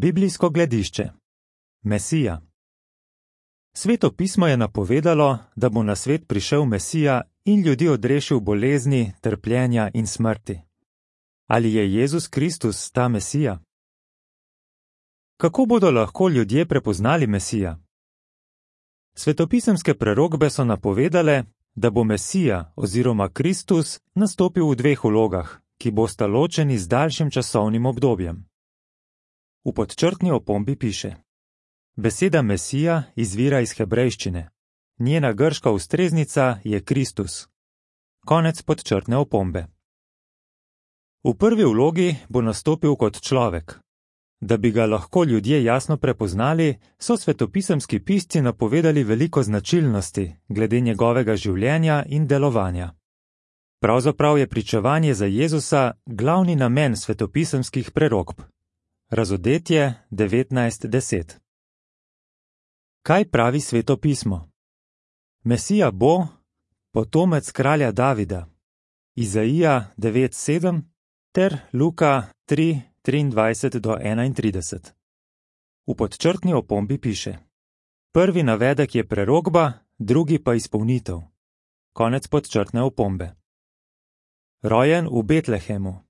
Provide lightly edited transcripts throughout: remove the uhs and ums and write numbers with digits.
Biblijsko gledišče. Mesija. Sveto pismo je napovedalo, da bo na svet prišel Mesija in ljudi odrešil bolezni, trpljenja in smrti. Ali je Jezus Kristus ta Mesija? Kako bodo lahko ljudje prepoznali Mesija? Svetopisemske prerokbe so napovedale, da bo Mesija oziroma Kristus nastopil v dveh vlogah, ki bosta ločeni z daljšim časovnim obdobjem. V podčrtni opombi piše: Beseda Mesija izvira iz hebrejščine. Njena grška ustreznica je Kristus. Konec podčrtne opombe. V prvi vlogi bo nastopil kot človek. Da bi ga lahko ljudje jasno prepoznali, so svetopisemski pisci napovedali veliko značilnosti glede njegovega življenja in delovanja. Pravzaprav je pričevanje za Jezusa glavni namen svetopisemskih prerokb. Razodetje 19:10. Kaj pravi Sveto pismo? Mesija bo potomec kralja Davida, Izaija 9:7 ter Luka 3:23-31. V podčrtni opombi piše: Prvi navedek je prerokba, drugi pa izpolnitev. Konec podčrtne opombe. Rojen v Betlehemu,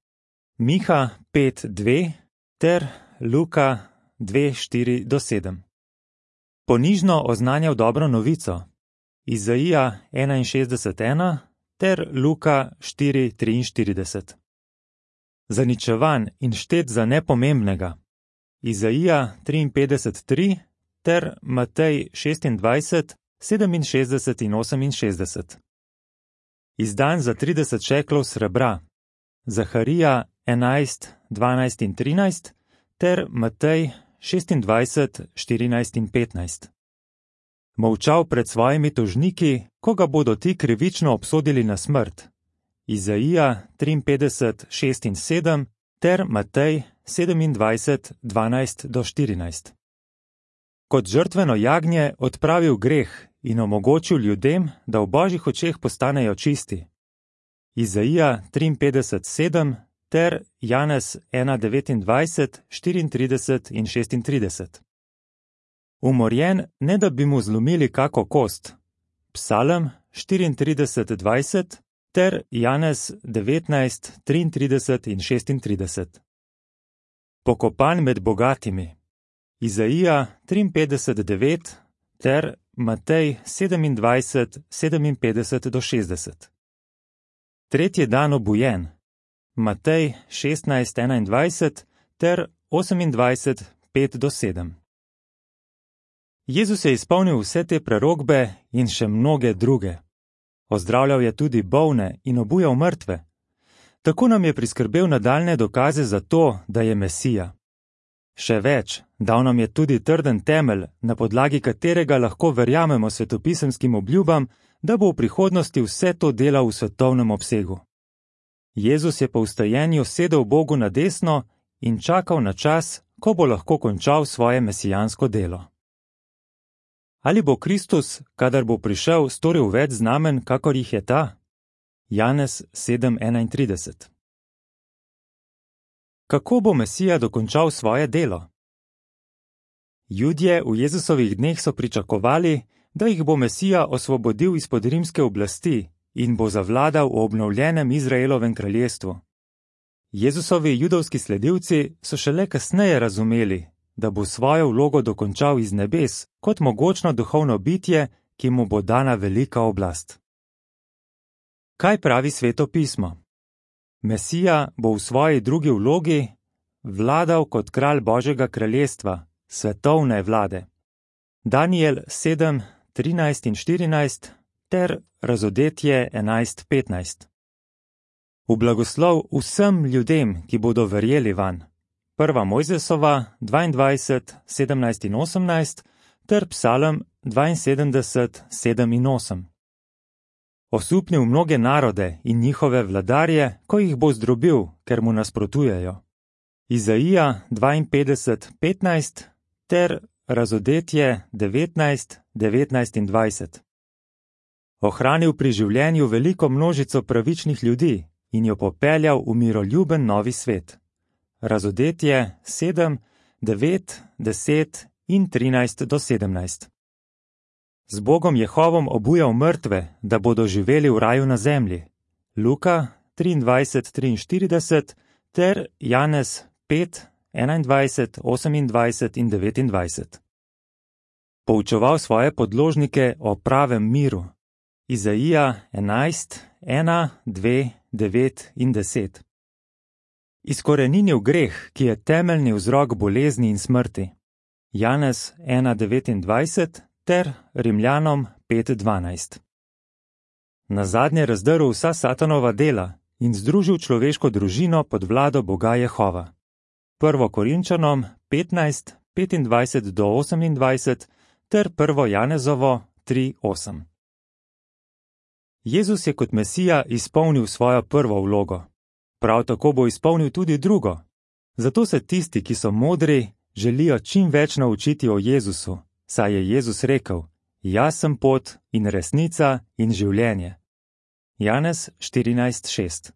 Miha 5:2 ter Luka 2:4-7. Ponižno oznanjal dobro novico, Izaija 61:1 ter Luka 4:43. Zaničevan in štet za nepomembnega, Izaija 53:3 ter Matej 26:67 in 68. Izdan za 30 šeklov srebra, Zaharija 11:12 in 13 ter Matej 26:14 in 15. Molčal pred svojimi tožniki, ko ga bodo ti krivično obsodili na smrt, Izaija 53:6 in 7 ter Matej 27:12-14. Kot žrtveno jagnje odpravil greh in omogočil ljudem, da v Božjih očeh postanejo čisti, Izaija 53:7 ter Janez 1:29, 34 in 36. Umorjen, ne da bi mu zlomili kako kost, Psalem 34:20 ter Janez 19:33 in 36. Pokopan med bogatimi, Izaija 53:9 ter Matej 27:57-60. Tretji dan obujen, Matej 16:21 ter 28:5-7. Jezus je izpolnil vse te prerokbe in še mnoge druge. Ozdravljal je tudi bolne in obujal mrtve. Tako nam je priskrbel nadaljne dokaze za to, da je Mesija. Še več, dal nam je tudi trden temelj, na podlagi katerega lahko verjamemo svetopisemskim obljubam, da bo v prihodnosti vse to delal v svetovnem obsegu. Jezus je po vstajenju sedel Bogu na desno in čakal na čas, ko bo lahko končal svoje mesijansko delo. Ali bo Kristus, kadar bo prišel, storil več znamen, kakor jih je ta? Janez 7:31. Kako bo Mesija dokončal svoje delo? Judje v Jezusovih dneh so pričakovali, da jih bo Mesija osvobodil izpod rimske oblasti in bo zavladal v obnovljenem Izraelovem kraljestvu. Jezusovi judovski sledilci so šele kasneje razumeli, da bo svojo vlogo dokončal iz nebes kot mogočno duhovno bitje, ki mu bo dana velika oblast. Kaj pravi Sveto pismo? Mesija bo v svoji drugi vlogi vladal kot kralj Božjega kraljestva, svetovne vlade. Danijel 7:13 in 14 ter Razodetje 11:15. V blagoslov vsem ljudem, ki bodo verjeli vanj. 1. Mojzesova 22:17 in 18 ter Psalem 72:7 in 8. Osupnil mnoge narode in njihove vladarje, ko jih bo zdrobil, ker mu nasprotujejo. Izaija 52:15 ter Razodetje 19:19 in 20. Ohranil pri življenju veliko množico pravičnih ljudi in jo popeljal v miroljuben novi svet. Razodetje 7, 9, 10 in 13 do 17. Z Bogom Jehovom obujal mrtve, da bodo živeli v raju na zemlji. Luka 23:43 ter Janez 5, 21, 28 in 29. Poučeval svoje podložnike o pravem miru. Izaija 11, 1, 2, 9 in 10. Izkoreninil greh, ki je temeljni vzrok bolezni in smrti. Janez 1:29 ter Rimljanom 5:12. Nazadnje razdrl vsa satanova dela in združil človeško družino pod vlado Boga Jehova. 1. Korinčanom 15, 25 do 28 ter 1. Janezovo 3:8. Jezus je kot Mesija izpolnil svojo prvo vlogo. Prav tako bo izpolnil tudi drugo. Zato se tisti, ki so modri, želijo čim več naučiti o Jezusu, saj je Jezus rekel: Jaz sem pot in resnica in življenje. Janez 14:6.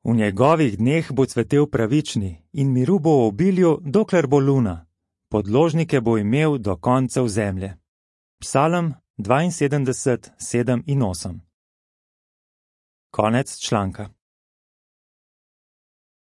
V njegovih dneh bo cvetel pravični in miru bo v obilju, dokler bo luna. Podložnike bo imel do koncev zemlje. Psalm 72, 7 in 8. Konec članka.